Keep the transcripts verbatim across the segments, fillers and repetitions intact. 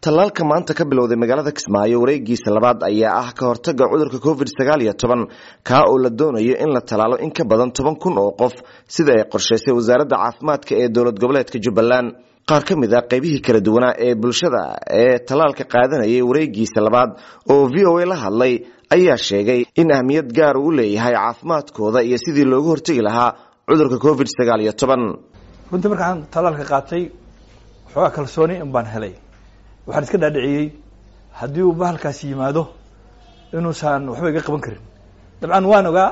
Tallaalka maanta ka bilowday magaalada Kismaayo wareegiisa labaad ayaa ah ka hortagga cudurka covid sagaal iyo toban, kaa oo la doonayo in la tallaalo in ka badan toban kun oo qof, sida ay qorshaysay wasaaradda caafimaadka ee dowlad goboleedka Jubbaland. Qaar ka mid ah qaybihii kala duwanaa ee bulshada ee tallaalka qaadanayay wareegiisa labaad oo V O A la hadlay ayaa sheegay in ahmiyad gaar uu leeyahay caafimaadkooda iyo sidii loogu hortagi lahaa cudurka covid sagaal iyo toban. Runtii markaan tallaalka qaatay waxoogaa kalsooni in baan helay. Waxaan iska dhaadhiciyey haddii uu bahalkaasi yimaado inuusan waxba iga qaban karin. Dabcan waan ogaa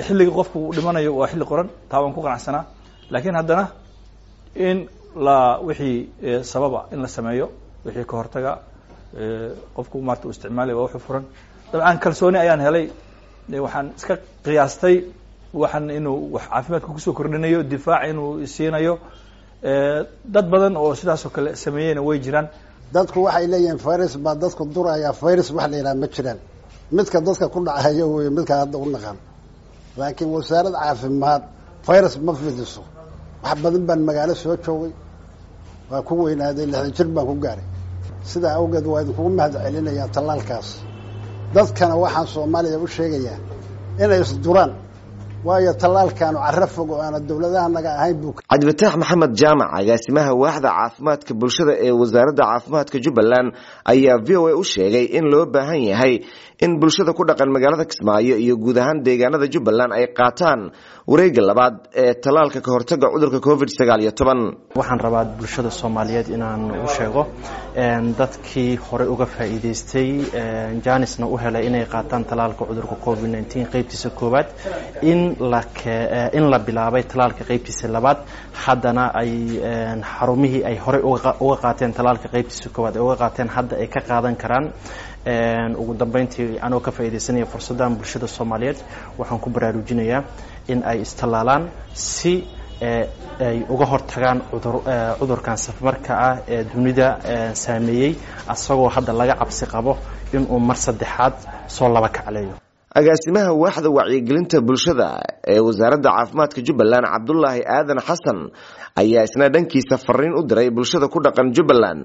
xilliga qofku uu dhimanayo waa xilli qoran, taa waan ku qanacsanaa, laakiin haddana in la wixii sababa in la sameeyo, wixii ka hortaga qofku maarta uu isticmaalay waa wuxuu furan. Dabcan kalsooni ayaan helay, waxaan iska qiyaastay waxaan inuu wax caafimaadka kusoo kordhinayo, difaac inuu siinayo. Dad badan oo sidaas oo kale sameeyeyna way jiraan. Dadku waxay leeyihiin virus baa dadku duraya, virus wax la yidhaha ma jiraan. Midka dadka ku dhacayo wey midka hadda u naqan, laakiin wasaaradda caafimaad virus ma fidiso. Wax badan baan magaalo soo joogay, waa ku weynaaday, lixdan jir baan ku gaaray. Sidaa awgeed waa idinkugu mahad celinayaa tallaalkaas. Dadkana waxaan Soomaaliya u sheegayaa inay isduraan, waayo tallaalkaanu carro fog oo aana dowladaha naga ahayn buu. Cabdifataax Maxamed Jaamac, agaasimaha waaxda caafimaadka bulshada ee wasaaradda caafimaadka Jubbaland, ayaa V O A u sheegay in loo baahan yahay in bulshada ku dhaqan magaalada Kismaayo iyo guud ahaan deegaanada Jubbaland ay qaataan wareegga labaad ee tallaalka ka hortagga cudurka covid sagaal iyo toban. Waxaan rabaa bulshada Soomaaliyeed inaan u sheego dadkii hore uga faa'iideystay Janisna u helay inay qaataan tallaalka cudurka covid nineteen qaybtiisa koowaad, in la in la bilaabay tallaalka qaybtiisa labaad, haddana ay xarumihii ay hore uga qaateen tallaalka qaybtiisa koowaad ay uga qaateen hadda ay ka qaadan karaan. Ugu dambeyntii anoo ka faa'iideysanaya fursaddan bulshada Soomaaliyeed waxaan ku baraarujinayaa in ay istallaalaan si ay uga hortagaan cudur cudurkan safmarka ah ee dunida saameeyey, asagoo hadda laga cabsi qabo inuu mar saddexaad soo laba kacleeyo. Agaasimaha waaxda wacyigelinta bulshada ee wasaaradda caafimaadka Jubbaland, Cabdullaahi Aadan Xasan, ayaa isna dhankiisa fariin u diray bulshada ku dhaqan Jubbaland,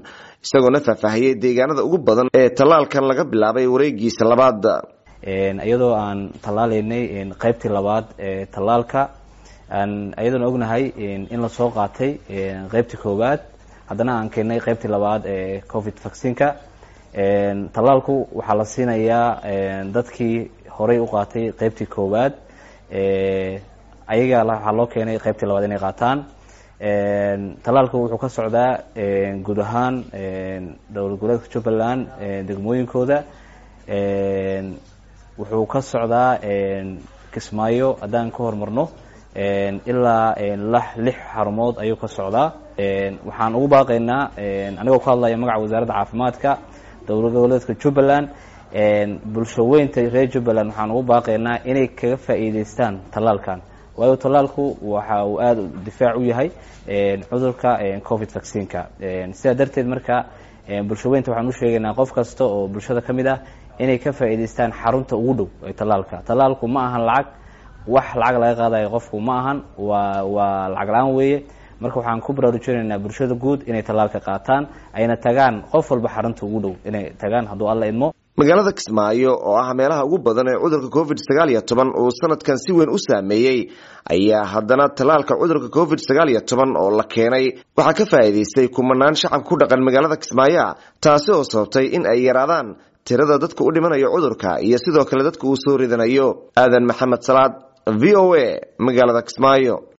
isagoona faahfaahiyey deegaanada ugu badan ee tallaalkan laga bilaabay wareegiisa labaad. Iyadoo aan tallaalaynay qaybtii labaad ee tallaalka, iyadoona ognahay in lasoo qaatay qaybtii koowaad, haddana aan keenay qaybtii labaad ee covid vaccineka. Tallaalku waxaa la siinayaa dadkii horey u qaatay qaybtii koowaad, ayaga waxaa loo keenay qaybtii labaad inay qaataan. Tallaalku wuxuu ka socdaa guud ahaan dowlad goboleedka Jubbaland degmooyinkooda, wuxuu ka socdaa Kismaayo haddaan ka horumarno ilaa lix xarumood ayuu ka socdaa. Waxaan ugu baaqaynaa anigoo ku hadlaya magaca wasaaradda caafimaadka dowlad goboleedka Jubbaland, bulsho weynta reer Jubbaland waxaan ugu baaqaynaa inay kaga faa'iideystaan tallaalkan, waayo tallaalku waxa uu aada difaac u yahay cudurka covid vaccineka. Sidaa darteed marka bulsho weynta waxaan u sheegaynaa qof kasta oo bulshada ka mid ah inay ka faa'iideystaan xarunta ugu dhow ee tallaalka. Tallaalku ma ahan lacag, wax lacag laga qaadayo qofku ma ahan, waa waa lacag la-aan weeye. Marka waxaan ku baraarujinaynaa bulshada guud inay tallaalka qaataan, ayna tagaan qof walba xarunta ugu dhow inay tagaan hadduu Alla idmo. Magaalada Kismaayo oo ah meelaha ugu badan ee cudurka covid sagaal iyo toban uu sanadkan si weyn u saameeyey, ayaa haddana tallaalka cudurka covid sagaal iyo toban oo la keenay waxaa ka faa'iideystay kumanaan shacabka ku dhaqan magaalada Kismaayo, taasi oo sababtay in ay yaraadaan tirada dadka u dhimanayo cudurka iyo sidoo kale dadka uu soo ridanayo. Aadan Maxamed Salaad, V O A, magaalada Kismaayo.